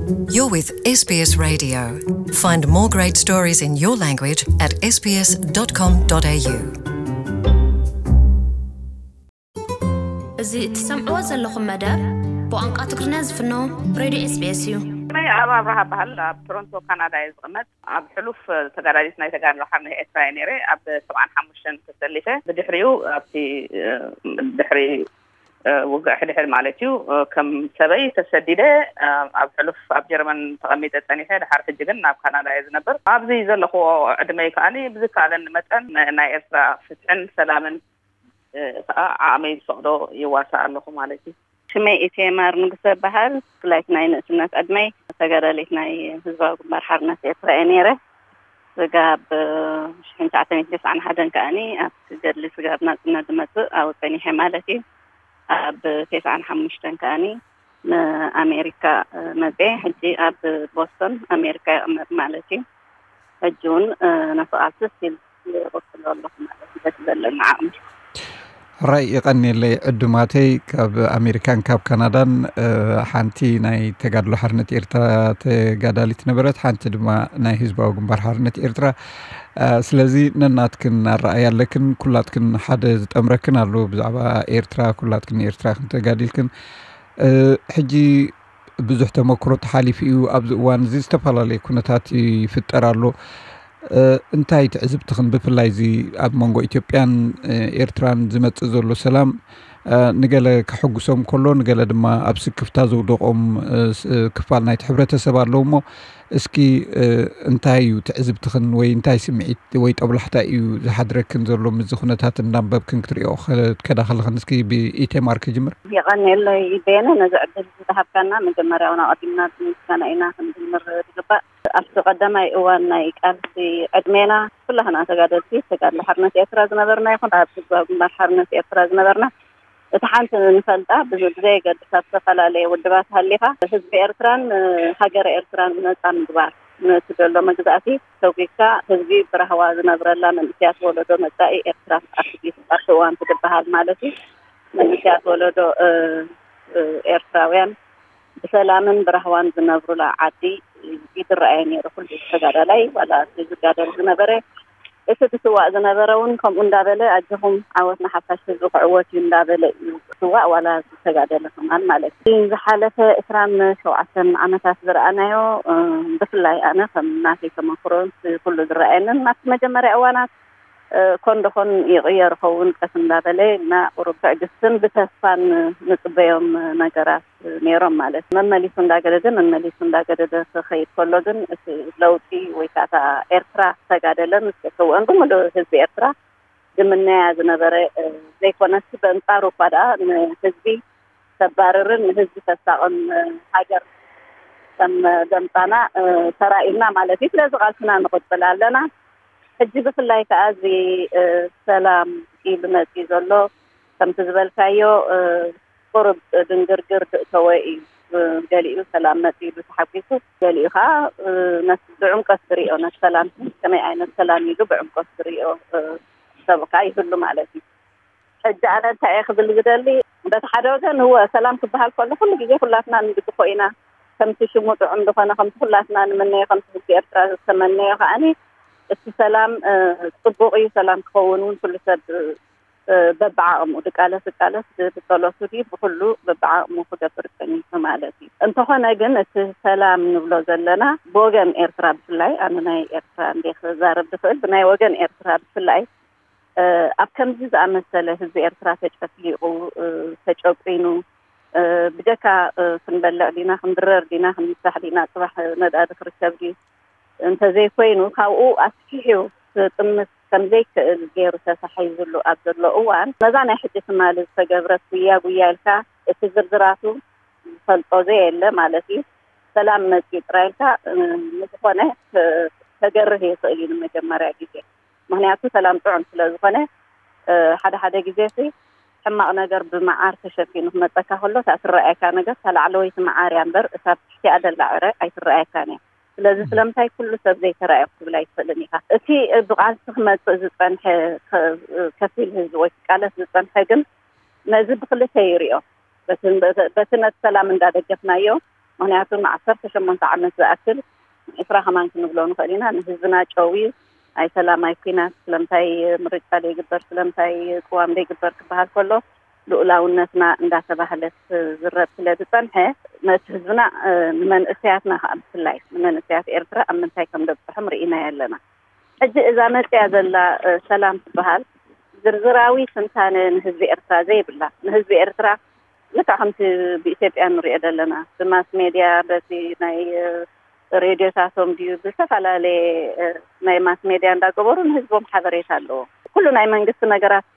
You're with S B S Radio. Find more great stories in your language at S B S dot com dot A U. እዚ እትሰምዕዎ ዘለኹም መደብ ብቋንቋ ትግርኛ ዝፍኖ ሬድዮ S B S እዩ። ናይ ኣብ ኣብርሃ በሃል ኣብ ቶሮንቶ ካናዳ እየ ዝቕመጥ። ኣብ ሕሉፍ ተጋዳሊት ናይ ተጋድሎ ሓርነት ኤርትራ እየ ነይረ። ኣብ ሰብዓን ሓሙሽተን ተሰሊፈ። ብድሕሪኡ ኣብቲ ድሕሪ ውግእ ሕድሕድ ማለት እዩ። ከም ሰበይ ተሰዲደ ኣብ ሕሉፍ ኣብ ጀርመን ተቐሚጠ ጸኒሐ። ድሓር ሕጂ ግን ናብ ካናዳ እየ ዝነብር። ኣብዚ ዘለኹዎ ዕድመይ ከኣኒ ብዝከኣለኒ መጠን ናይ ኤርትራ ፍትሕን ሰላምን ከዓ ዓቕመይ ዝፈቕዶ ይዋሳእ ኣለኹ ማለት እዩ። ሽመይ ኢቴማር ንጉሰ በሃል። ብፍላይ ናይ ንእስነት ዕድመይ ተጋዳሊት ናይ ህዝባዊ ግንባር ሓርነት ኤርትራ እየ ነይረ። ስጋብ ሽሕን ትሽዓተ ሚእትን ተስዓን ሓደን ከኣኒ ኣብቲ ገድሊ ስጋብ ናጽነት ዝመጽእ ኣብኡ ጸኒሐ ማለት እዩ። ኣብ ተስዓን ሓሙሽተን ከኣኒ ንኣሜሪካ መጽየ። ሕጂ ኣብ ቦስቶን ኣሜሪካ ይቕመጥ ማለት እዩ። ሕጂ እውን ነቲ ቃልሲ ስቲል ይቕጽሎ ኣለኹ ማለት እዩ። በቲ ዘለኒ ዓቕሚ። ራይ ይቐንየለይ ዕዱማተይ ካብ ኣሜሪካን ካብ ካናዳን። ሓንቲ ናይ ተጋድሎ ሓርነት ኤርትራ ተጋዳሊት ነበረት፣ ሓንቲ ድማ ናይ ህዝባዊ ግንባር ሓርነት ኤርትራ። ስለዚ ነናትክን ኣረኣያ ኣለክን፣ ኩላትክን ሓደ ዝጠምረክን ኣሎ ብዛዕባ ኤርትራ። ኩላትክን ኤርትራ ክንተጋዲልክን ሕጂ ብዙሕ ተመክሮ ተሓሊፉ እዩ። ኣብዚ እዋን እዚ ዝተፈላለየ ኩነታት ይፍጠር ኣሎ። እንታይ ትዕዝብትኽን ብፍላይ እዚ ኣብ መንጎ ኢትዮጵያን ኤርትራን ዝመጽእ ዘሎ ሰላም ንገለ ከሐጉሶም ከሎ ንገለ ድማ ኣብ ስክፍታ ዘውደቖም ክፋል ናይቲ ሕብረተሰብ ኣለዉ እሞ እስኪ እንታይ እዩ ትዕዝብትኽን ወይ እንታይ ስምዒት ወይ ጠብላሕታ እዩ ዝሓድረክን ዘሎ ምስዚ ኩነታት እንዳንበብክን ክትሪኦ ከዳ ከለኽን እስኪ ብኢቴማር ክጅምር። የቐንየለይ ቤነ ነዚ ዕድል ዝተሃብካና መጀመርያ እውን ኣቐዲምና ብምስጋና ኢና ክንጅምር ዝግባእ። ኣብቲ ቀዳማይ እዋን ናይ ቃልሲ ዕድሜና ኩላህና ተጋደልቲ ተጋድሎ ሓርነት ኤርትራ ዝነበርና ይኹን ኣብ ህዝባዊ ግንባር ሓርነት ኤርትራ ዝነበርና እቲ ሓንቲ ንፈልጣ ብዘየገድስ ኣብ ዝተፈላለየ ውድባት ሃሊኻ ህዝቢ ኤርትራን ሃገረ ኤርትራን ነፃ ምግባር ነቲ ዘሎ መግዛእቲ ሰጒግካ ህዝቢ ብራህዋ ዝነብረላ መንእስያት ወለዶ መፃኢ ኤርትራ ኣብቲ ኣብቲ እዋን ትግበሃል ማለት እዩ። መንእስያት ወለዶ ኤርትራውያን ብሰላምን ብራህዋን ዝነብሩላ ዓዲ ይትረኣየ ነይሩ። ኩሉ ተጋዳላይ ዋላ እቲ ዝጋደል ዝነበረ እቲ ዝስዋእ ዝነበረ እውን ከምኡ እንዳበለ ኣጆኹም ዓወት ንሓፋሽ ህዝቢ ክዕወት እዩ እንዳበለ እዩ ዝስዋእ ዋላ ዝተጋደለ ከማን ማለት እዩ። ዝሓለፈ ዕስራን ሸውዓተን ዓመታት ዝረኣናዮ ብፍላይ ኣነ ከም ናተይ ተመክሮ ኩሉ ዝረኣየንን ናብቲ መጀመርያ እዋናት ኮን ደኾን ይቕየር ኸውን ቀስ እንዳበለ እና ቁሩብ ትዕግስትን ብተስፋን ንጽበዮም ነገራት ነይሮም ማለት መመሊሱ እንዳገደደ መመሊሱ እንዳገደደ ክኸይድ ከሎ ግን እቲ ለውጢ ወይ ከዓ እታ ኤርትራ ዝተጋደለን ዝተሰውአን ብምሉእ ህዝቢ ኤርትራ ዝምነያ ዝነበረ ዘይኮነስ በንጻሩ እኳ ደኣ ንህዝቢ ተባርርን ንህዝቢ ተሳቕን ሃገር ከም ዘምጻና ተራኢና ማለት እዩ። ስለዚ ቃልስና ንቕጽል ኣለና። ሕጂ ብፍላይ ከዓ እዚ ሰላም ኢሉ መፂኡ ዘሎ ከምቲ ዝበልካዮ ቁሩብ ድንግርግር ድእተወ እዩ። ገሊኡ ሰላም መፂኡ ኢሉ ተሓጒሱ፣ ገሊኡ ከዓ ነቲ ብዕምቆት ዝሪኦ ነቲ ሰላም ከመይ ዓይነት ሰላም ኢሉ ብዕምቆት ዝሪኦ ሰብ ከዓ ይህሉ ማለት እዩ። ሕጂ ኣነ እንታይ እየ ክብል ዝደሊ፣ በቲ ሓደ ወገን እወ ሰላም ክበሃል ከሎ ኩሉ ግዜ ኩላትና ንድግፎ ኢና። ከምቲ ሽሙ ጥዑም ዝኾነ ከምቲ ኩላትና ንምነዮ ከምቲ ህዝቢ ኤርትራ ዝተመነዮ ከዓኒ እቲ ሰላም ጽቡቕ እዩ። ሰላም ክኸውን እውን ኩሉ ሰብ በብዓቕሙ ድቃለስ ድቃለስ ብጸሎቱ ድዩ ብኩሉ በብዓቕሙ ክገብር ጸኒሑ ማለት እዩ። እንተኾነ ግን እቲ ሰላም ንብሎ ዘለና ብወገን ኤርትራ ብፍላይ ኣነ ናይ ኤርትራ እንደ ክዛረብ ዝኽእል ብናይ ወገን ኤርትራ ብፍላይ ኣብ ከምዚ ዝኣመሰለ ህዝቢ ኤርትራ ተጨፍሊቑ ተጨቂኑ ብጀካ ክንበልዕ ዲና ክንድረር ዲና ክንምሳሕ ዲና ፅባሕ ነዳዲ ክርከብ ድዩ እንተዘይኮይኑ ካብኡ ኣስፊሑ ክጥምት ከምዘይክእል ገይሩ ተታሒዙሉ ኣብ ዘሎ እዋን ነዛ ናይ ሕጂ ትማሊ ዝተገብረት ጉያ ጉያ ኢልካ እቲ ዝርዝራቱ ዝፈልጦ ዘየለ ማለት እዩ። ሰላም መፅዩ ጥራይ ኢልካ ንዝኾነ ከገርህ ይኽእል እዩ ንመጀመርያ ግዜ። ምክንያቱ ሰላም ጥዑም ስለዝኾነ ሓደ ሓደ ግዜ ሲ ሕማቕ ነገር ብመዓር ተሸፊኑ ክመፀካ ከሎ እታ ትረኣየካ ነገር እታ ላዕለወይቲ መዓር እያ እምበር እታ ትሕቲኣ ደላ ዕረ ኣይትረኣየካን እያ። ስለዚ ስለምንታይ ኩሉ ሰብ ዘይተራእየ ክትብል ኣይትኽእልን ኢኻ። እቲ ብቃልሲ ክመፅእ ዝፀንሐ ከፊል ህዝቢ ወይ ክቃለስ ዝፀንሐ ግን ነዚ ብክልተ ይሪኦ። በቲ ነቲ ሰላም እንዳደገፍናዮ ምክንያቱ ንዓሰርተ ሸሞንተ ዓመት ዝኣክል፣ ዕስራ ከማን ክንብሎ ንኽእል ኢና፣ ንህዝብና ጨውዩ፣ ኣይ ሰላም ኣይ ኩናት፣ ስለምንታይ ምርጫ ዘይግበር፣ ስለምንታይ ቅዋም ዘይግበር ክበሃል ከሎ፣ ልኡላውነትና እንዳተባህለት ዝረብ ስለ ዝጸንሐ፣ ነቲ ህዝብና፣ ንመንእሰያትና ከዓ ብፍላይ ንመንእሰያት ኤርትራ ኣብ ምንታይ ከም ደብፅሖም ርኢናዮ ኣለና። ሕጂ እዛ መፅያ ዘላ ሰላም ትበሃል ዝርዝራዊ ትንታነ ንህዝቢ ኤርትራ ዘይብላ፣ ንህዝቢ ኤርትራ ልክዕ ከምቲ ብኢትዮጵያ ንሪኦ ዘለና ብማስ ሜድያ፣ በቲ ናይ ሬድዮታቶም ድዩ ብዝተፈላለየ ናይ ማስ ሜድያ እንዳገበሩ ንህዝቦም ሓበሬታ ኣለዎ። ኩሉ ናይ መንግስቲ ነገራት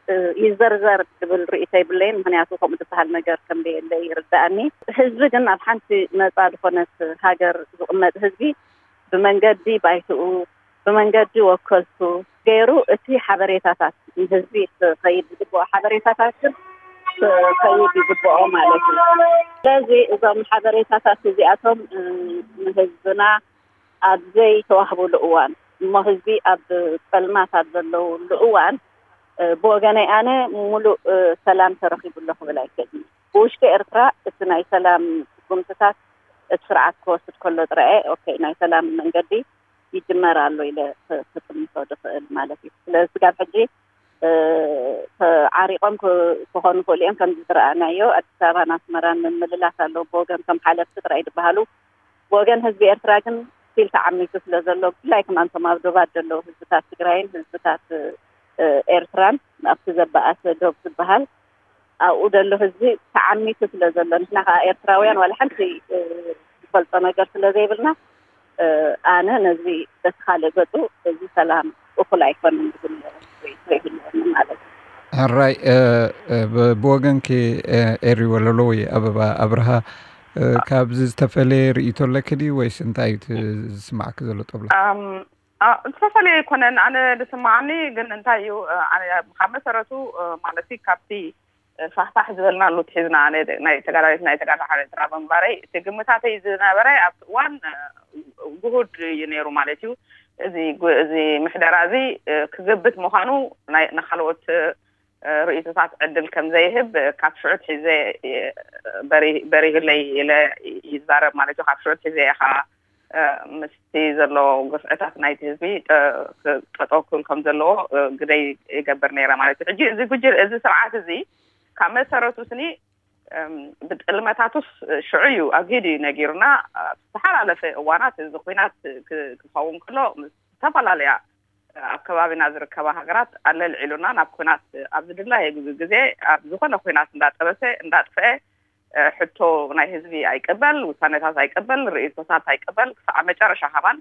ይዘርዘር ዝብል ርእይቶ ይብለይን፣ ምክንያቱ ከምኡ ዝበሃል ነገር ከም ዘየለ ይርዳእኒ። ህዝቢ ግን ኣብ ሓንቲ ነፃ ዝኾነት ሃገር ዝቕመጥ ህዝቢ ብመንገዲ ባይትኡ፣ ብመንገዲ ወከልቱ ገይሩ እቲ ሓበሬታታት ንህዝቢ ክኸይድ ዝግብኦ ሓበሬታታት ግን ክኸይድ ይግብኦ ማለት እዩ። ስለዚ እዞም ሓበሬታታት እዚኣቶም ንህዝብና ኣብ ዘይተዋህብሉ እዋን፣ እሞ ህዝቢ ኣብ ጸልማት ኣብ ዘለውሉ እዋን፣ ብወገነይ ኣነ ሙሉእ ሰላም ተረኺቡ ኣሎ ክብል ኣይክእልን። ብውሽጢ ኤርትራ እቲ ናይ ሰላም ስጉምትታት እቲ ስርዓት ክወስድ ከሎ ጥራየ ኦኬ ናይ ሰላም መንገዲ ይጅመር ኣሎ ኢለ ክጥምቶ ዝኽእል ማለት እዩ። ስለዚ ስጋብ ሕጂ ዓሪቆም ክኾኑ ክእሉ እዮም። ከምዚ ዝረኣናዮ ኣዲስ ኣበባን ኣስመራን ምምልላስ ኣለዎ። ብወገን ከም ሓለፍቲ ጥራይ ዝበሃሉ፣ ብወገን ህዝቢ ኤርትራ ግን ስቲል ተዓሚቱ ስለ ዘሎ፣ ብፍላይ ከማንቶም ኣብ ዶባት ዘለዉ ህዝብታት ትግራይን ህዝብታት ኤርትራን ኣብቲ ዘበኣሰ ዶብ ዝበሃል ኣብኡ ዘሎ ህዝቢ ተዓሚቱ ስለ ዘሎ፣ ንሕና ከዓ ኤርትራውያን ዋላ ሓንቲ ዝፈልጦ ነገር ስለ ዘይብልና፣ ኣነ ነዚ በቲ ካልእ ገፁ እዚ ሰላም እኹል ኣይኮነን ዝብል ርእይቶ ይህልወኒ ማለት እዩ። ሕራይ ብወገንኪ ኤሪ ወለሎ ወይ ኣበባ ኣብርሃ ካብዚ ዝተፈለየ ርእይቶ ኣለኪ ድዩ ወይስ እንታይ እዩ ዝስማዕኪ ዘሎ ጠብሎ? ዝተፈለየ ኣይኮነን ኣነ ዝስማዓኒ። ግን እንታይ እዩ ካብ መሰረቱ ማለት ካብቲ ፋሕፋሕ ዝበልናሉ ትሒዝና ናይ ተጋዳሊት ናይ ተጋዳሊ ሓርነት ኤርትራ ብምንባረይ እቲ ግምታተይ ዝነበረ ኣብቲ እዋን ግሁድ እዩ ነይሩ ማለት እዩ። እዚ እዚ ምሕደራ እዚ ክግብት ምዃኑ ናይ ንካልኦት ርእይቶታት ዕድል ከም ዘይህብ ካብ ሽዑ ትሒዘ በሪህለይ ኢለ ይዛረብ ማለት እዩ። ካብ ሽዑ ትሒዘ እየ ከዓ ምስቲ ዘሎ ግፍዕታት ናይቲ ህዝቢ ጠጠው ክብል ከም ዘለዎ ግደይ ይገብር ነይረ ማለት እዩ። ሕጂ እዚ ጉጅል እዚ ስርዓት እዚ ካብ መሰረቱ ስኒ ብጥልመታቱስ ሽዑ እዩ ኣግሂዱ እዩ ነጊሩና። ዝተሓላለፈ እዋናት እዚ ኩናት ክኸውን ከሎ ምስ ዝተፈላለያ ኣብ ከባቢና ዝርከባ ሃገራት ኣለልዒሉና ናብ ኩናት ኣብ ዝድላየ ግዜ ኣብ ዝኾነ ኩናት እንዳጠበሰ እንዳጥፍአ ሕቶ ናይ ህዝቢ ኣይቅበል፣ ውሳኔታት ኣይቅበል፣ ርእይቶታት ኣይቅበል ክሳዕ መጨረሻ ከማን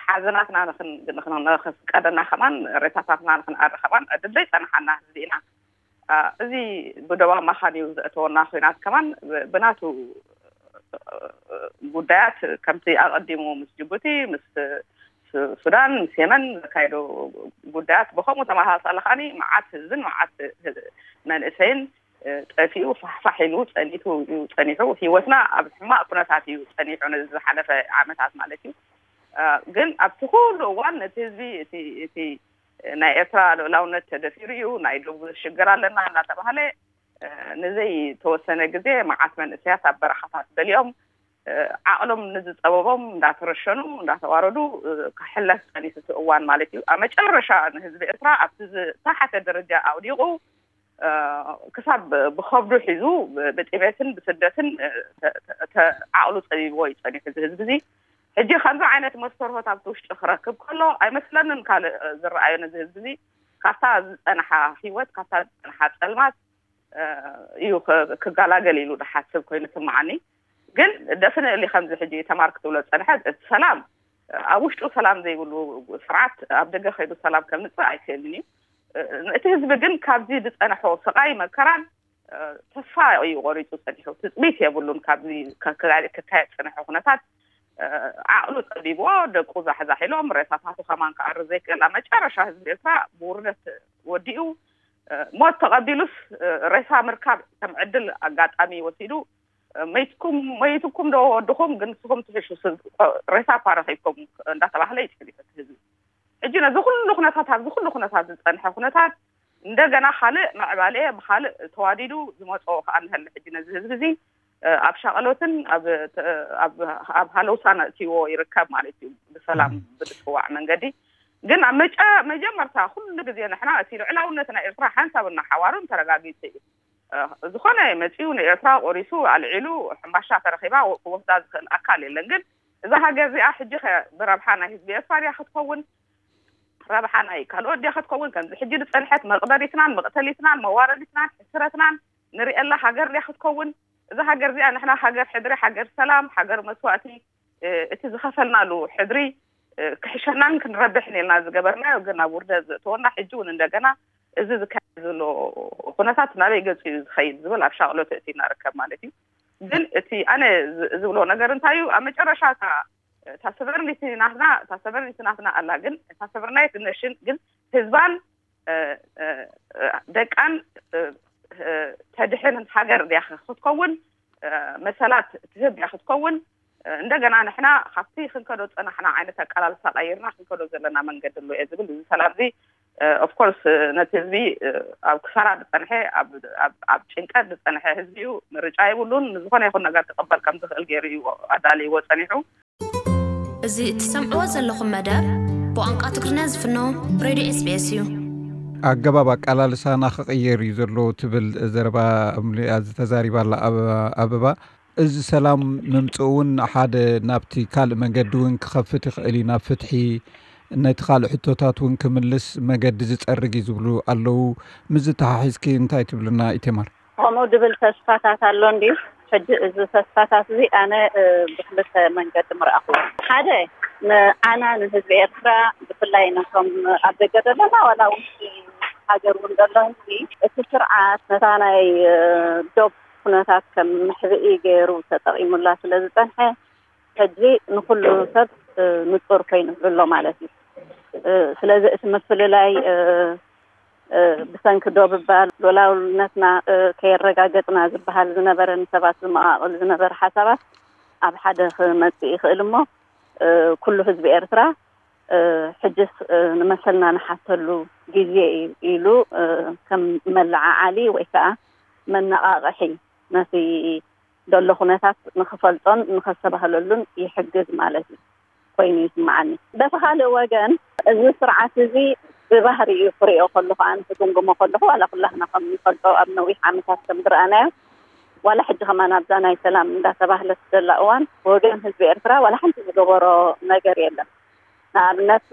ሓዘናትና ንክፍቀደና ከማን ሬሳታትና ንክንኣሪ ከማን ዕድል ዘይፀንሓና ህዝቢ ኢና። እዚ ብደባ ማኻን እዩ ዘእተወና ኩናት ከማን ብናቱ ጉዳያት ከምቲ ኣቐዲሙ ምስ ጅቡቲ ምስ ሱዳን ምስ የመን ዘካየዶ ጉዳያት ብከምኡ ተመሳሳሊ ከዓኒ መዓት ህዝብን መዓት መንእሰይን ጠፊኡ ፋሕፋሕ ኢሉ ፀኒቱ እዩ ፀኒሑ። ህይወትና ኣብ ሕማቕ ኩነታት እዩ ፀኒሑ ነዚ ዝሓለፈ ዓመታት ማለት እዩ። ግን ኣብቲ ኩሉ እዋን ነቲ ህዝቢ እቲ ናይ ኤርትራ ልኡላውነት ተደፊሩ እዩ፣ ናይ ደቡብ ሽግር ኣለና እናተባህለ ንዘይተወሰነ ግዜ መዓት መንእሰያት ኣብ በረኻታት በሊኦም ዓቕሎም ንዝፀበቦም እንዳተረሸኑ እንዳተዋረዱ ክሕለፍ ፀኒሑ እቲ እዋን ማለት እዩ። ኣብ መጨረሻ ንህዝቢ ኤርትራ ኣብቲ ዝተሓተ ደረጃ ኣውዲቑ ክሳብ ብኸብዱ ሒዙ ብጥሜትን ብስደትን ዓቕሉ ፀቢብዎ እዩ ፀኒሑ እዚ ህዝቢ እዚ። ሕጂ ከምዚ ዓይነት መስተርሆት ኣብቲ ውሽጢ ክረክብ ከሎ ኣይመስለንን ካልእ ዝረኣዮ ነዚ ህዝቢ እዚ ካብታ ዝፀንሓ ህይወት ካብታ ዝፀንሓ ፀልማት እዩ ክጋላገል ኢሉ ዝሓስብ ኮይኑ ስምዓኒ። ግን ደፍነሊ ከምዚ ሕጂ ተማር ክትብሎ ዝፀንሐት እቲ ሰላም ኣብ ውሽጡ ሰላም ዘይብሉ ስርዓት ኣብ ደገ ከይዱ ሰላም ከምፅእ ኣይክእልን እዩ። እቲ ህዝቢ ግን ካብዚ ዝፀንሖ ስቓይ መከራን ተስፋ እዩ ቆሪፁ ፀኒሑ። ትፅቢት የብሉን ካብዚ ክካየድ ዝፀንሐ ኩነታት። ዓቕሉ ፀቢብዎ ደቁ ዛሕዛሕ ኢሎም ሬሳታቱ ከማን ክኣሪ ዘይክእል ኣብ መጨረሻ ህዝቢ ኤርትራ ብውርደት ወዲኡ ሞት ተቐቢሉስ ሬሳ ምርካብ ከም ዕድል ኣጋጣሚ ወሲዱ መይትኩም መይትኩም ዶ ወድኹም ግን ንስኹም ትሕሹ ሬሳ እኳ ረኺብኩም እንዳተባህለ ይፅል ይፈት ህዝቢ። ሕጂ ነዚ ኩሉ ኩነታት ኣብዚ ኩሉ ኩነታት ዝፀንሐ ኩነታት እንደገና ካልእ ምዕባለ ብካልእ ተዋዲዱ ዝመፅኦ ከዓ ንሀሊ ሕጂ ነዚ ህዝቢ እዚ ኣብ ሻቐሎትን ኣብ ሃለውሳን ኣእትይዎ ይርከብ ማለት እዩ። ብሰላም ብዝፅዋዕ መንገዲ ግን ኣብ መጨ መጀመርታ ኩሉ ግዜ ንሕና እቲ ልዕላውነት ናይ ኤርትራ ሓንሳብ እናሓዋሩን ተረጋጊፁ እዩ። ዝኾነ መፂኡ ንኤርትራ ቆሪሱ ኣልዒሉ ሕምባሻ ተረኺባ ክወስዳ ዝኽእል ኣካል የለን። ግን እዛ ሃገር እዚኣ ሕጂ ከ ብረብሓ ናይ ህዝቢ ኤርትራ ድያ ክትከውን? ረብሓ ናይ ካልኦት ድያ ክትከውን? ከምዚ ሕጂ ዝፀንሐት መቕበሪትናን መቕተሊትናን መዋረዲትናን ሕስረትናን ንሪኤላ ሃገር ድያ ክትከውን? እዛ ሃገር እዚኣ ንሕና ሃገር ሕድሪ፣ ሃገር ሰላም፣ ሃገር መስዋእቲ፣ እቲ ዝኸፈልናሉ ሕድሪ ክሕሸናን ክንረብሕን ኢልና ዝገበርናዮ ግን ኣብ ውርደት ዘእተወና ሕጂ እውን እንደገና እዚ ዝካየድ ዘሎ ኩነታት ናበይ ገፁ እዩ ዝኸይድ ዝብል ኣብ ሻቕሎት እቲ እናርከብ ማለት እዩ። ግን እቲ ኣነ ዝብሎ ነገር እንታይ እዩ? ኣብ መጨረሻ እታ ሰቨርኒቲ ናትና እታ ሰቨርኒቲ ናትና ኣላ። ግን እታ ሰቨርናይት ነሽን ግን ህዝባን ደቃን ተድሕን ሃገር ድያ ክትከውን መሰላት ትህብ ድያ ክትከውን? እንደገና ንሕና ካብቲ ክንከዶ ዝፀናሕና ዓይነት ኣቀላልሳ ቀይርና ክንከዶ ዘለና መንገዲ ኣሎ እየ ዝብል። እዚ ሰላም እዚ ኦፍኮርስ ነቲ ህዝቢ ኣብ ክሳራ ዝፀንሐ ኣብ ጭንቀት ዝፀንሐ ህዝቢ እዩ። ምርጫ የብሉን። ንዝኾነ ይኹን ነገር ክቕበል ከም ዝኽእል ገይሩ እዩ ኣዳልይዎ ፀኒሑ። እዚ እትሰምዕዎ ዘለኹም መደብ ብቋንቋ ትግርኛ ዝፍኖ ሬድዮ ኤስቢኤስ እዩ። ኣገባብ ኣቃላልሳና ክቕየር እዩ ዘሎ ትብል ዘረባ እምሊኣ ዝተዛሪባላ ኣበባ። እዚ ሰላም ምምፅኡ እውን ሓደ ናብቲ ካልእ መገዲ እውን ክኸፍት ይኽእል እዩ፣ ናብ ፍትሒ፣ ነቲ ካልእ ሕቶታት እውን ክምልስ መገዲ ዝፀርግ እዩ ዝብሉ ኣለዉ። ምስ ዝተሓሒዝኪ እንታይ ትብልና ኢቴማር? ከምኡ ድብል ተስፋታት ኣሎ እንዲ ሕጂ እዚ ተስፋታት እዚ ኣነ ብክልተ መንገዲ ምርኣኹ። ሓደ ንዓና ንህዝቢ ኤርትራ ብፍላይ ነቶም ኣብ ደገ ዘለና ዋላ ውሽጢ ሃገር እውን ዘሎ ህዝቢ እቲ ስርዓት ነታ ናይ ዶብ ኩነታት ከም መሕብኢ ገይሩ ተጠቒሙላ ስለ ዝጸንሐ ሕጂ ንኹሉ ሰብ ንጹር ኮይኑ ኣሎ ማለት እዩ። ስለዚ እቲ ምፍልላይ ብሰንኪ ዶብ እባ ሉኣላውነትና ከየረጋገጽና ዝበሃል ዝነበረ ንሰባት ዝመቓቕል ዝነበረ ሓሳባት ኣብ ሓደ ክመጽእ ይኽእል እሞ ኩሉ ህዝቢ ኤርትራ ሕጅስ ንመሰልና ንሓተሉ ግዜ እዩ ኢሉ ከም መለዓዓሊ ወይ ከዓ መነቓቕሒ ነቲ ዘሎ ኩነታት ንኽፈልጦን ንኸስተባህለሉን ይሕግዝ ማለት እዩ ኮይኑ ይስምዓኒ። በቲ ካልእ ወገን እዚ ስርዓት እዚ ብባህሪኡ ክሪኦ ከለኹ ኣነ ክግምግሞ ከለኹ ዋላ ኩላህና ከም ንፈልጦ ኣብ ነዊሕ ዓመታት ከም ዝረኣናዮ ዋላ ሕጂ ከማን ኣብዛ ናይ ሰላም እንዳተባህለት ዘላ እዋን ወገን ህዝቢ ኤርትራ ዋላ ሓንቲ ዝገበሮ ነገር የለን። ንኣብነት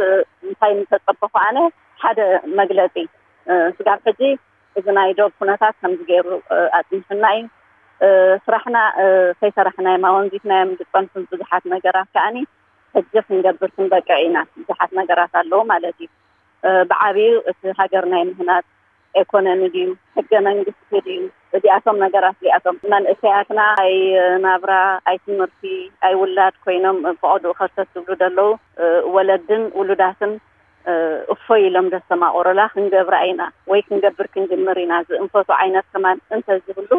እንታይ ምተጸበኹ ኣነ ሓደ መግለጺ ስጋብ ሕጂ እዚ ናይ ዶብ ኩነታት ከምዚ ገይሩ ኣጽኒሑና እዩ። ስራሕና ከይሰራሕናዮም ኣወንዚፍናዮም ዝጸንሑ ብዙሓት ነገራት ከኣኒ ሕጂ ክንገብር ክንበቅዕ ኢና። ብዙሓት ነገራት ኣለዉ ማለት እዩ። ብዓብዩ እቲ ሃገር ናይ ምህናጽ ኤኮኖሚ ድዩ ሕገ መንግስቲ ድዩ እዚኣቶም ነገራት እዚኣቶም መንእሰያትና ኣይ ናብራ ኣይ ትምህርቲ ኣይ ውላድ ኮይኖም ብቐድኡ ከርተት ዝብሉ ዘለዉ ወለድን ውሉዳትን እፎይ ኢሎም ዘስተማቕሩላ ክንገብራ ኢና ወይ ክንገብር ክንጅምር ኢና ዝእንፈቱ ዓይነት ከማን እንተዝህሉ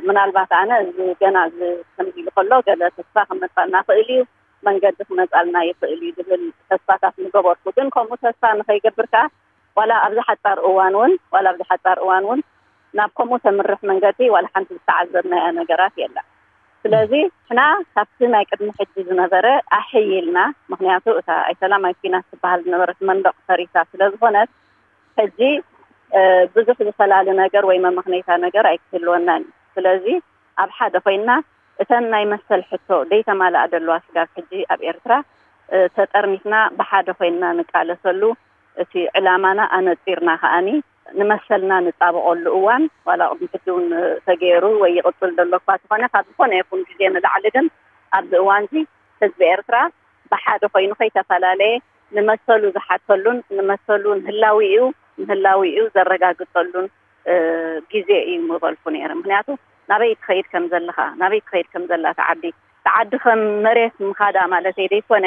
ምናልባት ኣነ እዚ ገና እዚ ከምዚ ኢሉ ከሎ ገለ ተስፋ ክመፃልና ክእል እዩ መንገዲ ክመፃልና ይኽእል እዩ ዝብል ተስፋታት ምገበርኩ ግን ከምኡ ተስፋ ንኸይገብር ከዓ ዋላ ኣብዚ ሓፃር እዋን እውን ዋላ ኣብዚ ሓፃር እዋን እውን ናብ ከምኡ ተምርሕ መንገዲ ዋላ ሓንቲ ዝተዓዘብናያ ነገራት የለን ስለዚ ሕና ካብቲ ናይ ቅድሚ ሕጂ ዝነበረ ኣሕይልና ምክንያቱ እታ ኣይሰላም ኣይኪናት ትበሃል ዝነበረት መንደቕ ፈሪሳ ስለ ዝኾነት ሕጂ ብዙሕ ዝፈላሊ ነገር ወይ መመኽነይታ ነገር ኣይክህልወናን እዩ ስለዚ ኣብ ሓደ ኮይንና እተን ናይ መሰል ሕቶ ደይተማልኣ ዘለዋ ስጋብ ሕጂ ኣብ ኤርትራ ተጠርኒፍና ብሓደ ኮይንና ንቃለሰሉ እቲ ዕላማና ኣነፂርና ከኣኒ ንመሰልና ንጣበቐሉ እዋን ዋላ ቅድሚ ሕጂ እውን ተገይሩ ወይ ይቕፅል ዘሎ እኳ ተኾነ ካብ ዝኾነ ይኹን ግዜ ንላዕሊ ግን ኣብዚ እዋን እዚ ህዝቢ ኤርትራ ብሓደ ኮይኑ ከይተፈላለየ ንመሰሉ ዝሓተሉን ንመሰሉ ንህላዊኡ ንህላዊኡ ዘረጋግፀሉን ግዜ እዩ ምበልኩ ነይረ ምክንያቱ ናበይ ትኸይድ ከም ዘለኻ ናበይ ትኸይድ ከም ዘላ ተዓዲ ተዓዲ ከም መሬት ምኻዳ ማለት ዘይኮነ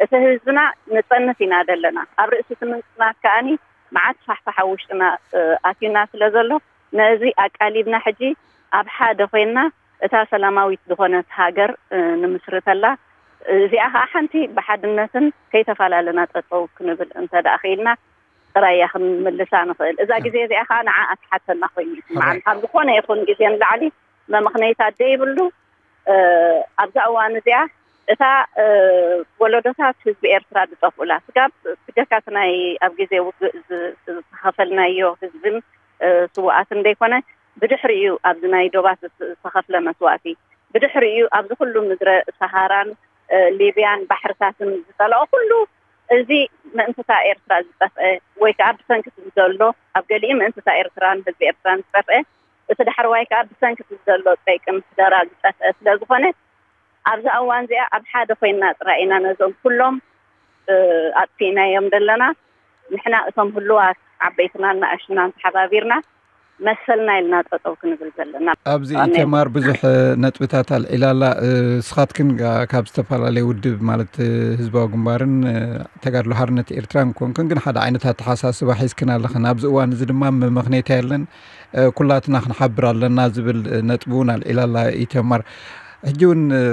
እቲ ህዝብና ንፀንት ኢና ዘለና ኣብ ርእሲ እቲ ምንፅናት ከኣኒ መዓት ፋሕፋሕ ኣብ ውሽጥና ኣትዩና ስለ ዘሎ ነዚ ኣቃሊብና ሕጂ ኣብ ሓደ ኮይንና እታ ሰላማዊት ዝኾነት ሃገር ንምስርተላ እዚኣ ከዓ ሓንቲ ብሓድነትን ከይተፈላለና ጠጠው ክንብል እንተ ደኣ ክኢልና ጥራይ እያ ክንምልሳ ንኽእል እዛ ግዜ እዚኣ ከዓ ንዓ ኣትሓተና ኮይኑ ይስምዓኒ ካብ ዝኾነ ይኹን ግዜ ንላዕሊ መመኽነይታ ዘይብሉ፣ እ፣ ኣብዛ እዋን እዚኣ እታ፣ እ፣ ወለዶታት ህዝቢ ኤርትራ ዝጠፍኡላ፣ ስጋብ ብጀካ እቲ ናይ ኣብ ግዜ ውግእ ዝ-፣ ዝተኸፈልናዮ ህዝብን፣ እ፣ ስውኣትን ዘይኮነ፣ ብድሕሪኡ ኣብዚ ናይ ዶባት ዝተኸፍለ መስዋእቲ፣ ብድሕሪኡ ኣብዚ ኩሉ ምድረ ሰሃራን፣ እ፣ ሊብያን ባሕርታትን ዝጠለኦ ኩሉ፣ እዚ ምእንትታ ኤርትራ ዝጠፍአ ወይ ከዓ ብሰንኪ ዘሎ፣ ኣብ ገሊኡ ምእንትታ ኤርትራን ህዝቢ ኤርትራን ዝጠፍአ፣ እቲ ዳሕረዋይ ከዓ ብሰንኪ ዘሎ ጸይቂ ምሕደራ ዝጠፍአ ስለ ዝኾነ፣ ኣብዛ እዋን እዚኣ ኣብ ሓደ ኮይና ጥራይ ኢና ነዞም ኩሎም፣ እ፣ ኣጥፊእናዮም ዘለና። ንሕና እቶም ህሉዋት ዓበይትና ንኣሽቱናን ተሓባቢርና መሰልና ኢልና ጠጠው ክንብል ዘለና። ኣብዚ ኣነ ኢተማር ብዙሕ፣ እ፣ ነጥብታት ኣልዒላ ኣላ። እ፣ ስኻትክን ጋ-፣ ካብ ዝተፈላለየ ውድብ ማለት፣ እ፣ ህዝባዊ ግንባርን፣ እ፣ ተጋድሎ ሓርነት ኤርትራን ኮንክን ግን ሓደ ዓይነት ኣተሓሳስባ ሒዝክን ኣለኽን። ኣብዚ እዋን እዚ ድማ መመኽነይታ የለን፣ እ፣ ኩላትና ክንሓብር ኣለና ዝብል፣ እ፣ ነጥቢ እውን ኣልዒላ ኣላ ኢተማር። ሕጂ እውን፣ እ፣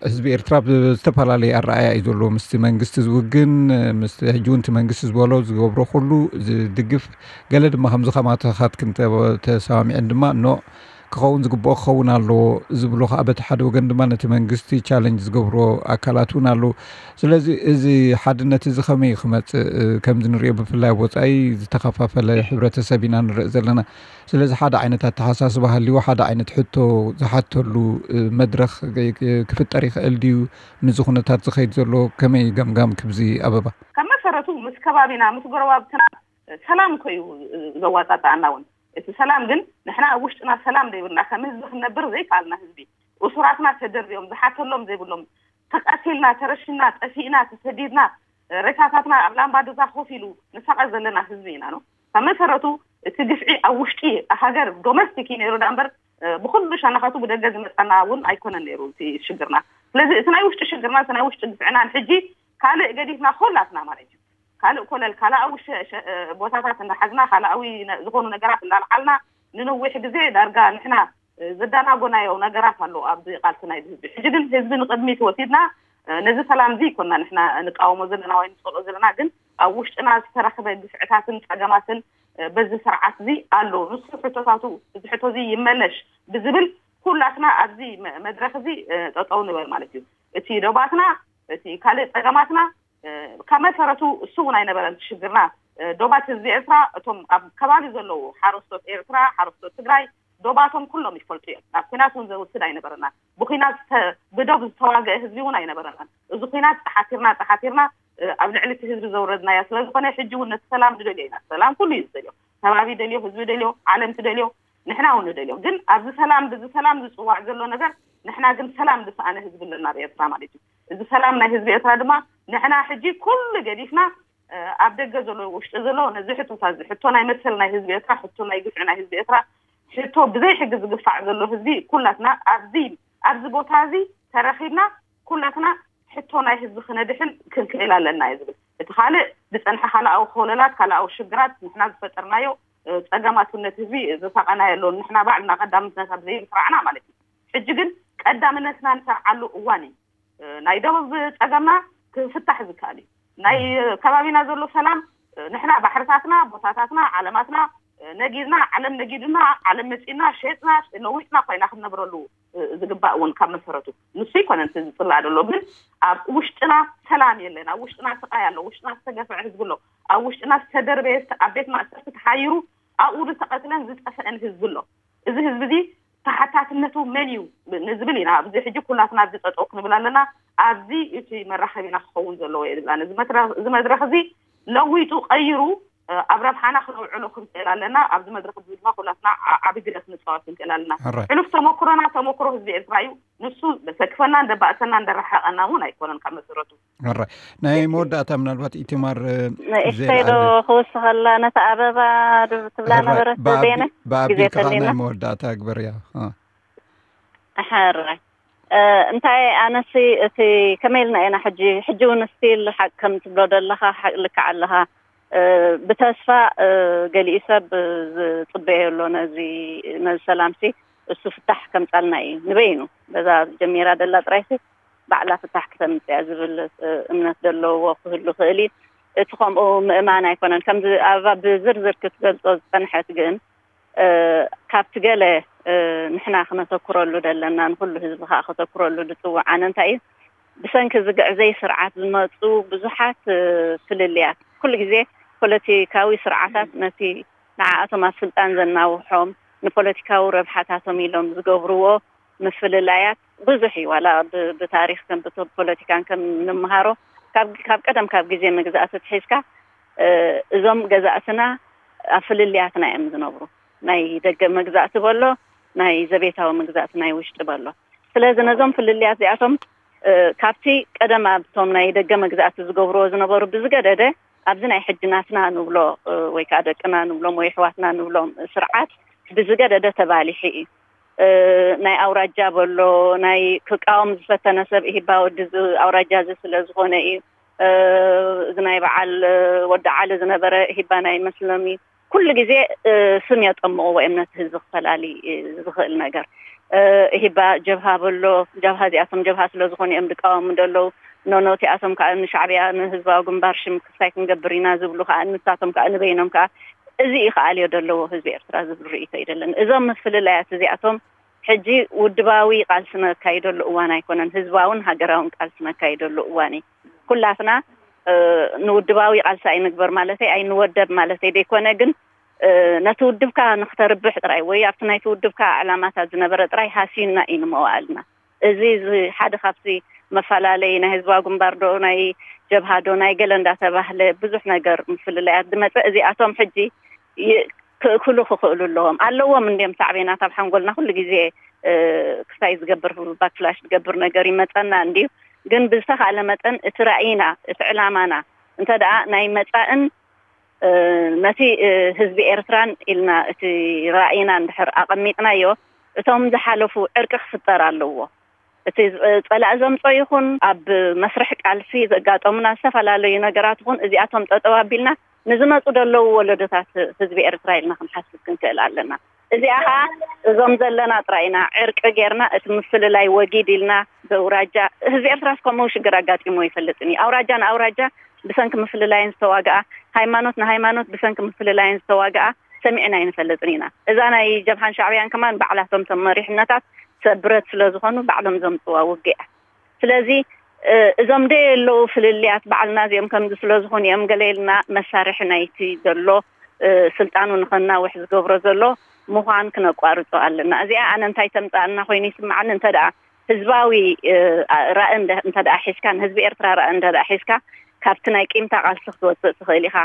ህዝቢ ኤርትራ ብዝተፈላለየ ኣረኣእያ እዩ ዘሎ። ምስቲ መንግስቲ ዝውግን፣ እ፣ ምስቲ ሕጂ እውን እቲ መንግስቲ ዝበሎ ዝገብሮ ኩሉ ዝድግፍ፣ ገለ ድማ ከምዚ ከማተኻትክን ተ-፣ ተሰማሚዐን ድማ ኖ ክኸውን ዝግብኦ ክኸውን ኣለዎ ዝብሉ ከዓ በቲ ሓደ ወገን ድማ ነቲ መንግስቲ ቻለንጅ ዝገብሮ ኣካላት እውን ኣለዉ። ስለዚ እዚ ሓድነት እዚ ከመይ ክመጽእ፣ እ፣ ከምዚ ንሪኦ ብፍላይ ኣብ ወጻኢ ዝተኸፋፈለ ሕብረተሰብ ኢና ንርኢ ዘለና። ስለዚ ሓደ ዓይነት ኣተሓሳስባ ሃልይዎ ሓደ ዓይነት ሕቶ ዝሓተሉ፣ እ፣ መድረኽ ክ-፣ ክ-፣ ክፍጠር ይኽእል ድዩ? ምስዚ ኩነታት ዝኸይድ ዘሎ ከመይ ገምጋም ክብዚ ኣበባ? ካብ መሰረቱ ምስ ከባቢና ምስ ጎረባብትና ሰላም እኮ እዩ ዘዋጣጣኣና እውን። እቲ ሰላም ግን ንሕና ኣብ ውሽጥና ሰላም ዘይብልና ከም ህዝቢ ክንነብር ዘይከኣልና ህዝቢ፣ እሱራትና ተደርብዮም ዝሓተሎም ዘይብሎም፣ ተቃቲልና፣ ተረሽና፣ ጠፊእና፣ ተሰዲድና፣ ሬሳታትና ኣብ ላምባዱዛ ኮፍ ኢሉ ንሳቐ ዘለና ህዝቢ ኢና ነው። ካብ መሰረቱ እቲ ግፍዒ ኣብ ውሽጢ ሃገር ዶሜስቲክ እዩ ነይሩ ዳ እምበር፣ ብኩሉ ሸነኻቱ ብደገ ዝመፀና እውን ኣይኮነን ነይሩ እቲ ሽግርና። ስለዚ እቲ ናይ ውሽጢ ሽግርና፣ እቲ ናይ ውሽጢ ግፍዕና ንሕጂ ካልእ ገዲፍና ኮላትና ማለት እዩ። ካልእ ኮለል ካልኣዊ ሸ-፣ ሸ-፣ ቦታታት እንዳሓዝና፣ ካልኣዊ ነ-፣ ዝኾኑ ነገራት እንዳልዓልና ንነዊሕ ግዜ ዳርጋ ንሕና ዘዳናጎናዮ ነገራት ኣሎ ኣብዚ ቃልሲ ናይ ህዝቢ። ሕጂ ግን ህዝቢ ንቅድሚት ወሲድና፣ ነዚ ሰላም እዚ ይኮና ንሕና ንቃወሞ ዘለና ወይ ንጸልኦ ዘለና፣ ግን ኣብ ውሽጥና ዝተረኽበ ግፍዕታትን ጸገማትን በዚ ስርዓት እዚ ኣሎ። ንሱ ሕቶታቱ፣ እዚ ሕቶ እዚ ይመለሽ ብዝብል ኩላትና ኣብዚ መ-፣ መድረኽ እዚ ጠጠው ንበል ማለት እዩ። እቲ ዶባትና፣ እቲ ካልእ ጸገማትና ካብ መሰረቱ እሱ እውን ኣይነበረን ሽግርና። ዶባት ህዝቢ ኤርትራ፣ እቶም ኣብ ከባቢ ዘለዉ ሓረስቶት ኤርትራ፣ ሓረስቶት ትግራይ፣ ዶባቶም ኩሎም ይፈልጡ እዮም። ናብ ኲናት እውን ዘውስድ ኣይነበረናን። ብኲናት ዝተ-፣ ብዶብ ዝተዋግአ ህዝቢ እውን ኣይነበረናን። እዚ ኲናት ጸሓቲርና፣ ጸሓቲርና፣ ኣብ ልዕሊ እቲ ህዝቢ ዘውረድናያ ስለ ዝኾነ፣ ሕጂ እውን ነቲ ሰላም ንደልዮ ኢና። ሰላም ኩሉ እዩ ዝደልዮ። ከባቢ ደልዮ፣ ህዝቢ ደልዮ፣ ዓለም ትደልዮ፣ ንሕና እውን ንደልዮ። ግን ኣብዚ ሰላም፣ ብዚ ሰላም ዝጽዋዕ ዘሎ ነገር፣ ንሕና ግን ሰላም ዝሰኣነ ህዝቢ ኣለና ኣብ ኤርትራ ማለት እዩ። እዚ ሰላም ናይ ህዝቢ ኤርትራ ድማ ንሕና ሕጂ ኩሉ ገዲፍና፣ ኣብ ደገ ዘሎ፣ ውሽጢ ዘሎ፣ ነዚ ሕቶታት እዚ፣ ሕቶ ናይ መሰል ናይ ህዝቢ ኤርትራ፣ ሕቶ ናይ ግፍዒ ናይ ህዝቢ ኤርትራ፣ ሕቶ ብዘይ ሕጊ ዝግፋዕ ዘሎ ህዝቢ፣ ኩላትና ኣብዚ፣ ኣብዚ ቦታ እዚ ተረኺብና ኩላትና ሕቶ ናይ ህዝቢ ክነድሕን ክንክእል ኣለና እዩ ዝብል። እቲ ካልእ ዝጸንሐ ካልኣዊ ኮለላት፣ ካልኣዊ ሽግራት፣ ንሕና ዝፈጠርናዮ፣ እ፣ ጸገማት ነቲ ህዝቢ ዘሳቐናዮ ኣሎ። ንሕና ባዕልና ቀዳምነት ኣብ ዘይምስራዕና ማለት እዩ። ሕጂ ግን ቀዳምነትና ንሰርዓሉ እዋን እዩ። እ፣ ናይ ደቡብ ጸገምና ክፍታሕ ዝከኣል እዩ። ናይ ከባቢና ዘሎ ሰላም፣ እ፣ ንሕና ባሕርታትና፣ ቦታታትና፣ ዓለማትና፣ እ፣ ነጊድና፣ ዓለም ነጊድና፣ ዓለም መጺና፣ ሸጥና፣ ለዊጥና ኮይና ክንነብረሉ፣ እ፣ ዝግባእ እውን ካብ መሰረቱ ንሱ ይኮነን እቲ ዝጽላእ ዘሎ። ግን ኣብ ውሽጥና ሰላም የለን። ኣብ ውሽጥና ስቃይ ኣሎ። ውሽጥና ዝተገፍዐ ህዝቢ ኣሎ። ኣብ ውሽጥና ዝተደርበየ፣ ኣብ ቤት ማእሰርቲ ተሓይሩ፣ ኣብኡ ዝተቐትለን ዝጠፍአን ህዝቢ ኣሎ። እዚ ህዝቢ እዚ ተሓታትነቱ መን እዩ ንዝብል ኢና ኣብዚ ሕጂ ኩላትና ኣብዚ ጠጠው ክንብል ኣለና። ኣብዚ እቲ መራኸቢና ክኸውን ዘለዎ እየ ዝብላ። ነዚ መትረ-፣ እዚ መድረኽ እዚ ለዊጡ ቀይሩ፣ እ፣ ኣብ ረብሓና ክነውዕሎ ክንክእል ኣለና። ኣብዚ መድረኽ እዚ ድማ ኩላትና ዓ-፣ ዓቢ ግደ ክንፃወት ክንክእል ኣለና። ሕራይ። ሕሉፍ ተመክሮና ተመክሮ ህዝቢ ኤርትራ እዩ። ንሱ ዘሰክፈና፣ እንደባእሰና፣ እንደረሓቐና እውን ኣይኮነን ካብ መሰረቱ። ሕራይ። ናይ መወዳእታ ምናልባት ኢትማር፣ እ፣ ንእሽተይ ዶ ክውስኸላ ነታ ኣበባ ድ-፣ ትብላ ሕራይ። ነበረት ብኣቢ-፣ ዜነ? ብኣቢልካ ግዜ ከዓ ተሊና። ናይ መወዳእታ ግበርያ። እ። ሕራይ። እ፣ እንታይ ኣነሲ እቲ ከመይ ኢልና ኢና ሕጂ፣ ሕጂ እውን ስቲል ሓቂ ከም ትብሎ ዘለኻ ሓቂ ልክዕ ኣለኻ። እ፣ ብተስፋ፣ እ፣ ገሊኡ ሰብ ዝጽበዮ ኣሎ ነዚ፣ ነዚ ሰላምሲ እሱ ፍታሕ ከምጻልና እዩ ንበይኑ። በዛ ጀሚራ ደላ ጥራይሲ ባዕላ ፍታሕ ክተምጽእ እያ ዝብል፣ እ፣ እምነት ዘለዎ ክህሉ ክእል እዩ። እቲ ከምኡ ምእማን ኣይኮነን። ከምዚ ኣበባ ብዝርዝር ክትገልጾ ዝጸንሐት ግን፣ እ፣ ካብቲ ገለ ንሕና ክነተኩረሉ ደለና፣ ንኩሉ ህዝቢ ከዓ ከተኩረሉ ዝፅውዕ ኣነ እንታይ እዩ፣ ብሰንኪ ዝግዕዘይ ስርዓት ዝመፁ ብዙሓት ፍልልያት፣ ኩሉ ግዜ ፖለቲካዊ ስርዓታት ነቲ ንዓኣቶም ኣብ ስልጣን ዘናውሖም፣ ንፖለቲካዊ ረብሓታቶም ኢሎም ዝገብርዎ ምፍልላያት ብዙሕ እዩ። ዋላ ብታሪክ ከም ፖለቲካን ከም ንምሃሮ ካብ ቀደም ካብ ግዜ መግዛእቲ ትሒዝካ እዞም ገዛእትና ኣብ ፍልልያትና እዮም ዝነብሩ። ናይ ደገ መግዛእቲ በሎ፣ ናይ ዘቤታዊ መግዛእቲ ናይ ውሽጢ በሎ። ስለዚ ነዞም ፍልልያት እዚኣቶም ካብቲ ቀደም ኣብቶም ናይ ደገ መግዛእቲ ዝገብርዎ ዝነበሩ ብዝገደደ ኣብዚ ናይ ሕጂ ናትና ንብሎ ወይ ከዓ ደቅና ንብሎም ወይ ኣሕዋትና ንብሎም ስርዓት ብዝገደደ ተባሊሑ እዩ። ናይ ኣውራጃ በሎ፣ ናይ ክቃወም ዝፈተነ ሰብ ኢህባ ወዲ እዚ ኣውራጃ እዚ ስለ ዝኾነ እዩ። እዚ ናይ በዓል ወዲ ዓሊ ዝነበረ ኢህባ ናይ መስሎም እዩ። ኩሉ ግዜ ስም የጠምቕዎ እዮም ነቲ ህዝቢ ክፈላሊ ዝኽእል ነገር። ኢህባ ጀብሃ በሎ፣ ጀብሃ እዚኣቶም ጀብሃ ስለ ዝኾኑ እዮም ዝቃወሙ ዘለዉ። ኖኖ እቲኣቶም ከዓ ንሻዕብያ ንህዝባዊ ግንባር ሽም ክስታይ ክንገብር ኢና ዝብሉ ከዓ ንሳቶም ከዓ ንበይኖም ከዓ እዚ እዩ ክኣልዮ ዘለዎ ህዝቢ ኤርትራ ዝብል ርእይቶ እዩ ደለኒ። እዞም ምፍልላያት እዚኣቶም ሕጂ ውድባዊ ቃልሲ ነካይደሉ እዋን ኣይኮነን፣ ህዝባውን ሃገራውን ቃልሲ ነካይደሉ እዋን እዩ። ኩላትና ንውድባዊ ቃልሲ ኣይንግበር ማለተይ ኣይንወደብ ማለተይ ዘይኮነ፣ ግን ነቲ ውድብካ ንክተርብሕ ጥራይ ወይ ኣብቲ ናይቲ ውድብካ ዕላማታት ዝነበረ ጥራይ ሃስዩና እዩ ንመዋእልና። እዚ ሓደ ካብቲ መፈላለይ ናይ ህዝባዊ ግንባር ዶ ናይ ጀብሃ ዶ ናይ ገለ እንዳተባህለ ብዙሕ ነገር ምፍልላያት ዝመፀ፣ እዚኣቶም ሕጂ ክእክሉ ክኽእሉ ኣለዎም ኣለዎም እንዲም ሳዕቤናት ኣብ ሓንጎልና ኩሉ ግዜ ክስታይ ዝገብር ባክላሽ ዝገብር ነገር ይመፀና እንዲዩ። ግን ብዝተኻእለ መጠን እቲ ራእይና እቲ ዕላማና እንተ ደኣ ናይ መፃእን ነቲ ህዝቢ ኤርትራን ኢልና እቲ ራእይና እንድሕር ኣቐሚጥናዮ እቶም ዝሓለፉ ዕርቂ ክፍጠር ኣለዎ። እቲ ጸላእ ዘምጾ ይኹን ኣብ መስርሕ ቃልሲ ዘጋጠሙና ዝተፈላለዩ ነገራት ይኹን እዚኣቶም ጠጠው ኣቢልና ንዝመፁ ዘለዉ ወለዶታት ህዝቢ ኤርትራ ኢልና ክንሓስብ ክንክእል ኣለና። እዚኣ ከዓ እዞም ዘለና ጥራይ ኢና ዕርቂ ጌርና እቲ ምፍልላይ ወጊድ ኢልና በውራጃ ህዝቢ ኤርትራስ ከምኡ ሽግር ኣጋጢሞ ይፈልጥን እዩ። ኣውራጃ ንኣውራጃ ብሰንኪ ምፍልላይን ዝተዋግኣ፣ ሃይማኖት ንሃይማኖት ብሰንኪ ምፍልላይን ዝተዋግኣ ሰሚዕና ኣይንፈልጥን ኢና። እዛ ናይ ጀብሃን ሻዕብያን ከማን ባዕላቶም ቶም መሪሕነታት ሰብ ብረት ስለ ዝኾኑ ባዕሎም ዘምፅዋ ውግእ እያ። ስለዚ እዞም ደየለዉ ፍልልያት ባዕልና እዚኦም ከምዚ ስለ ዝኾኑ እዮም ገለ ኢልና መሳርሒ ናይቲ ዘሎ ስልጣኑ ንኸናውሕ ዝገብሮ ዘሎ ምዃን ክነቋርጾ ኣለና። እዚኣ ኣነ እንታይ ተምፅኣልና ኮይኑ ይስምዓኒ እንተ ደኣ ህዝባዊ ራእ እንተ ደኣ ሒዝካ ንህዝቢ ኤርትራ ራእ እንተ ደኣ ሒዝካ ካብቲ ናይ ቂምታ ቃልሲ ክትወፅእ ትኽእል ኢኻ።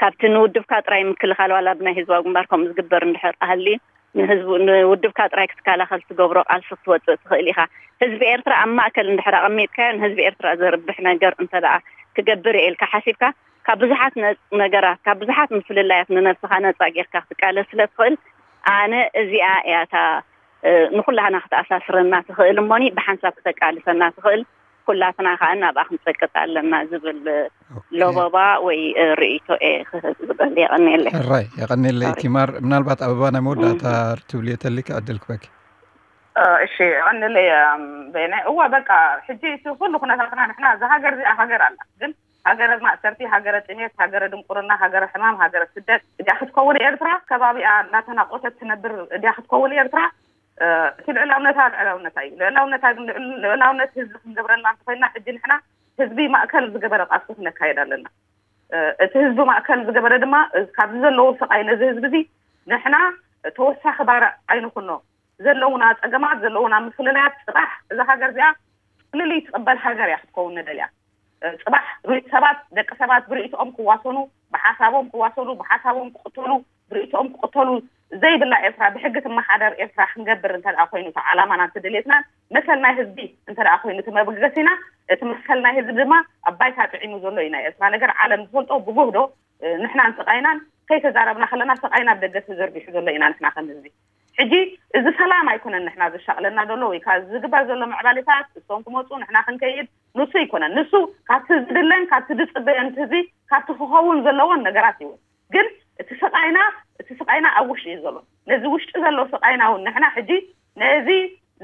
ካብቲ ንውድብካ ጥራይ ምክልኻል ዋላ ብናይ ህዝባዊ ግንባር ከምኡ ዝግበር እንድሕር ኣህልዩ ንህዝቡ ንውድብካ ጥራይ ክትከላኸል ትገብሮ ቃልሲ ክትወፅእ ትኽእል ኢኻ። ህዝቢ ኤርትራ ኣብ ማእከል እንድሕር ኣቐሚጥካዮ ንህዝቢ ኤርትራ ዘርብሕ ነገር እንተ ደኣ ክገብር እየ ኢልካ ሓሲብካ ካብ ብዙሓት ነገራት ካብ ብዙሓት ምፍልላያት ንነብስኻ ነፃ ጌርካ ክትቃለስ ስለ ትኽእል ኣነ እዚኣ እያ እታ ንኩላህና ክተኣሳስረና ትኽእል እሞኒ ብሓንሳብ ክተቃልሰና ትኽእል ኩላትና ከዓ ናብኣ ክንፀቅጥ ኣለና ዝብል ሎበባ ወይ ርእይቶ እየ ክህብ ዝደሊ። የቐንየለይ። ሕራይ የቐንየለይ። ቲማር ምናልባት ኣበባ ናይ መወዳእታ ትብልዮ ተሊካ ዕድል ክበኪ። እሺ የቐንየለይ። በይነ እዋ በቃ ሕጂ እቲ ኩሉ ኩነታትና ንሕና እዛ ሃገር እዚኣ ሃገር ኣላ ግን ሃገረ ማእሰርቲ፣ ሃገረ ጥሜት፣ ሃገረ ድንቁርና፣ ሃገረ ሕማም፣ ሃገረ ስደት እዲያ ክትከውን ኤርትራ? ከባቢኣ እናተናቆተት ትነብር እዲያ ክትከውን ኤርትራ? እቲ ልዕላውነታ ልዕላውነታ እዩ። ልዕላውነታ ግን ልዕላውነት ህዝቢ ክንገብረላ እንተኮይና ሕጂ ንሕና ህዝቢ ማእከል ዝገበረ ቃልሲ ክነካየድ ኣለና። እቲ ህዝቢ ማእከል ዝገበረ ድማ ካብዚ ዘለዎ ስቃይ ነዚ ህዝቢ እዚ ንሕና ተወሳኺ ባርዕ ኣይንኩኖ። ዘለውና ፀገማት ዘለውና ምፍልላያት ፅባሕ እዛ ሃገር እዚኣ ፍልልይ ትቕበል ሃገር እያ ክትከውን ንደልያ። ፅባሕ ሪ- ሰባት ደቂ ሰባት ብርእይቶኦም ክዋሰኑ ብሓሳቦም ክዋሰኑ ብሓሳቦም ክቕተሉ ብርእይቶኦም ክቕተሉ ዘይብላ ኤርትራ ብሕጊ ትመሓደር ኤርትራ ክንገብር እንተ ደኣ ኮይኑ እቲ ዓላማና እቲ ድሌትና መሰል ናይ ህዝቢ እንተ ደኣ ኮይኑ እቲ መበገሲና እቲ መሰል ናይ ህዝቢ ድማ ኣብ ባይታ ጥዒሙ ዘሎ እዩ ናይ ኤርትራ ነገር ዓለም ዝፈልጦ ብጉህዶ ንሕናን ስቓይናን ከይተዛረብና ከለና ስቓይና ኣብ ደገ ተዘርጊሑ ዘሎ ኢና ንሕና ከም ህዝቢ ሕጂ እዚ ሰላም ኣይኮነን ንሕና ዘሻቕለና ዘሎ ወይ ከዓ ዝግበር ዘሎ ምዕባሌታት እሶም ክመፁ ንሕና ክንከይድ ንሱ ኣይኮነን ንሱ ካብቲ ዝድለን ካብቲ ዝፅበዮን ህዝቢ ካብቲ ክኸውን ዘለዎን ነገራት ይውን ግን እቲ ስቓይና እቲ ስቓይና ኣብ ውሽጢ እዩ ዘሎ ነዚ ውሽጢ ዘሎ ስቓይና እውን ንሕና ሕጂ ነዚ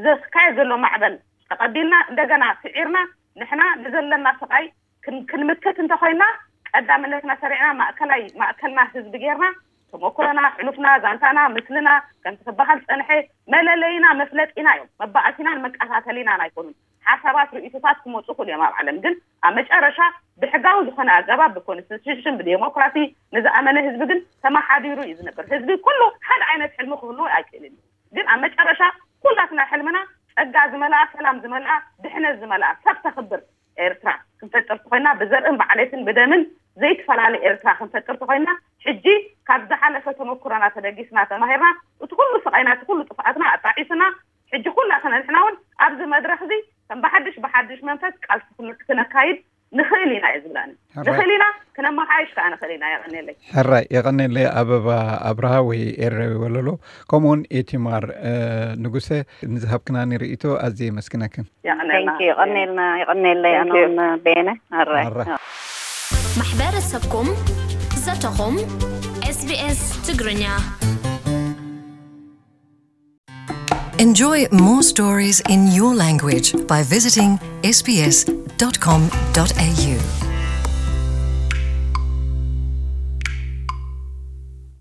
ዘስካየ ዘሎ ማዕበል ተቐቢልና እንደገና ስዒርና ንሕና ንዘለና ስቓይ ክንምክት እንተኮይና ቀዳምነትና ሰሪዕና ማእከላይ ማእከልና ህዝቢ ጌርና ተመክሮና፣ ሕሉፍና፣ ዛንታና፣ ምስልና ከምቲ ክበሃል ዝፀንሐ መለለይና፣ መፍለጢና እዮም። መባእሲናን መቀታተሊናን ኣይኮኑን። ሓሳባት፣ ርእይቶታት ክመፁ ይኽእሉ እዮም ኣብ ዓለም፣ ግን ኣብ መጨረሻ ብሕጋዊ ዝኾነ ኣገባብ፣ ብኮንስቲቱሽን፣ ብዴሞክራሲ ንዝኣመነ ህዝቢ ግን ተመሓዲሩ እዩ ዝነብር። ህዝቢ ኩሉ ሓደ ዓይነት ሕልሚ ክህልዎ ኣይክእልን እዩ። ግን ኣብ መጨረሻ ኩላትና ሕልምና ጸጋ ዝመልኣ፣ ሰላም ዝመልኣ፣ ድሕነት ዝመልኣ፣ ሰብ ተኽብር ኤርትራ ክንፈጥር ተኾይና፣ ብዘርእን ብዓሌትን ብደምን ዘይትፈላለ ኤርትራ ክንፈጥር ተኾይና፣ ሕጂ ካብ ዝሓለፈ ተመኩሮና ተበጊስና ተማሂርና፣ እቲ ኩሉ ስቓይና፣ እቲ ኩሉ ጥፍኣትና ኣጣዒስና፣ ሕጂ ኩላትና ንሕና እውን ኣብዚ መድረኽ እዚ ከም ብሓድሽ ብሓድሽ መንፈስ ቃልሲ ክን-፣ ክነካይድ ንኽእል ኢና እየ ዝብላኒ። ሕራይ። ንኽእል ኢና፣ ክነመሓይሽ ከኣ ንኽእል ኢና። የቐንየለይ። ሕራይ፣ የቐንየለይ ኣበባ ኣብርሃ ወይ ኤረዊ ወለሎ፣ ከምኡውን ኤቲማር፣ እ፣ ንጉሰ፣ ንዝሃብክናኒ ርእይቶ ኣዝየ የመስግነክን። የቐንየልና። Thank you። የቐንየልና፣ የቐንየለይ። Thank you። ኣነ እውን ቤነ። ሕራይ። ሕራይ። ማሕበረሰብኩም፣ ዘተኹም፣ ኤስቢኤስ ትግርኛ። Enjoy more stories in your language by visiting S B S dot com dot A U.